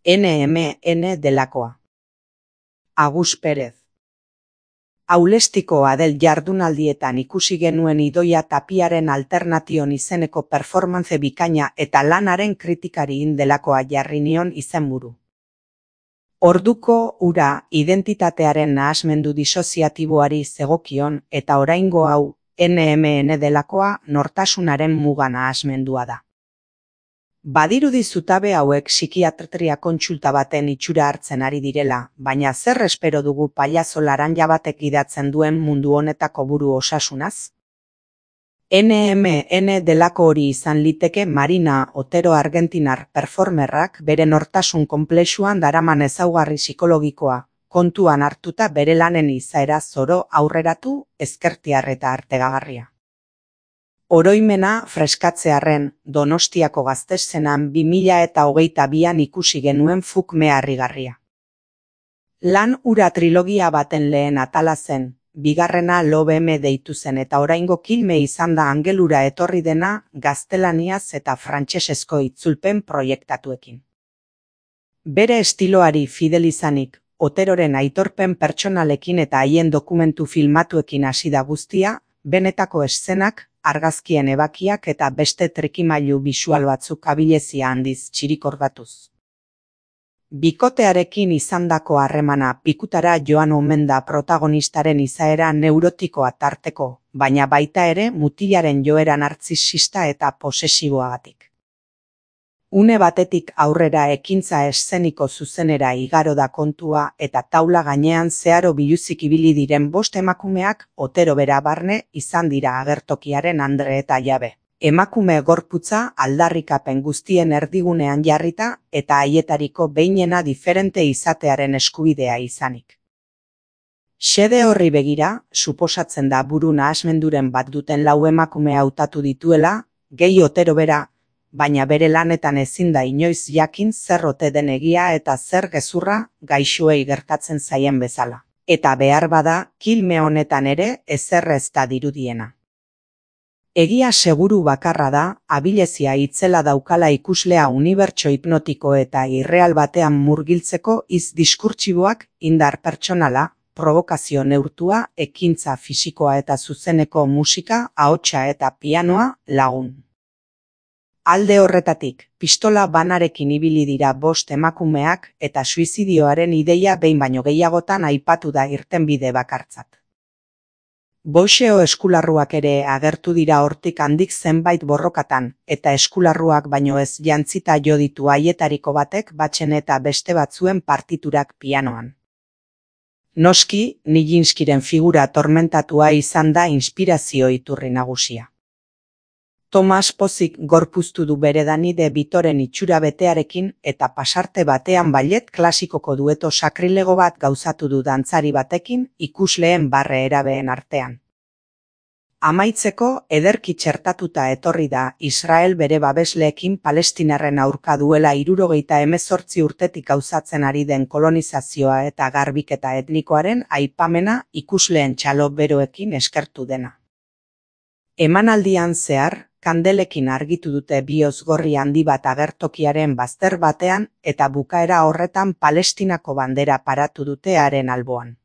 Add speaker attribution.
Speaker 1: NMN delakoa. Agus Perez. Aulestiko Adel jardunaldietan ikusi genuen Idoia Tapiaren Alternation izeneko performance bikaina eta lanaren kritikari delakoa jarri nion izenburu. Orduko ura identitatearen nahasmendu disoziatiboari zegokion eta oraingo hau NMN delakoa nortasunaren muga nahasmendua da. Badirudi zutabe hauek psikiatria kontsulta baten itxura hartzen ari direla, baina zer espero dugu pailazo laranja batek gidatzen duen mundu honetako buru osasunaz? NMN delako hori izan liteke Marina Otero argentinar performerrak bere nortasun konplexuan daraman ezaugarri psikologikoa, kontuan hartuta bere lanen izaera zoro aurreratu, ezkertiar eta artegagarria. Oroimena freskatzearren Donostiako Gaztesenan 2022an ikusi genuen Fukme harrigarria. Lan ura trilogia baten lehen atala zen, bigarrena Lobeme deitu zen eta oraingo Kilme izan da angelura etorri dena gaztelaniaz eta frantsesezko itzulpen proiektatuekin. Bere estiloari fidel izanik, Oteroren aitorpen pertsonalekin eta haien dokumentu filmatuekin hasi da guztia, benetako eszenak, argazkien ebakiak eta beste trikimailu bisual batzuk abilezia handiz txirikordatuz. Bikotearekin izandako harremana pikutara joan omen da protagonistaren izaera neurotikoa tarteko, baina baita ere mutilaren joera nartzisista eta posesiboagatik. Une batetik aurrera ekintza eszeniko zuzenera igaro da kontua eta taula gainean zeharo biluzik ibili diren 5 emakumeak Otero bera barne izan dira agertokiaren andre eta jabe. Emakume gorputza aldarrikapen guztien erdigunean jarrita eta haietariko behinena diferente izatearen eskubidea izanik. Xede horri begira, suposatzen da buru nahasmenduren bat duten 4 emakume hautatu dituela, gehi Otero bera, baina bere lanetan ezin da inoiz jakin zer ote den egia eta zer gezurra gaixoei gertatzen zaien bezala. Eta behar bada, Kilme honetan ere ezer ez da dirudiena. Egia seguru bakarra da, abilezia itzela daukala ikuslea unibertso hipnotiko eta irreal batean murgiltzeko hitz diskurtsiboak, indar pertsonala, provokazio neurtua, ekintza fisikoa eta zuzeneko musika, ahotsa eta pianoa lagun. Alde horretatik, pistola banarekin ibili dira 5 emakumeak eta suizidioaren ideia behin baino gehiagotan aipatu da irtenbide bakartzat. Boxeo eskularruak ere agertu dira hortik handik zenbait borrokatan, eta eskularruak baino ez jantzita jo ditu haietariko batek batzen eta beste batzuen partiturak pianoan. Noski, Nijinskyren figura tormentatua izan da inspirazio iturri nagusia. Tomas pozik gorpuztu du bere Danide Bitoren itxura betearekin eta pasarte batean ballet klasikoko dueto sakrilego bat gauzatu du dantzari batekin ikusleen barre erabeen artean. Amaitzeko ederki txertatuta etorri da Israel bere babesleekin Palestinarren aurka duela 78 urtetik gauzatzen ari den kolonizazioa eta garbiketa etnikoaren aipamena ikusleen txalo beroekin eskertu dena. Emanaldian zehar, kandelekin argitu dute bihotz gorri handi bat agertokiaren bazter batean eta bukaera horretan Palestinako bandera paratu dute haren alboan.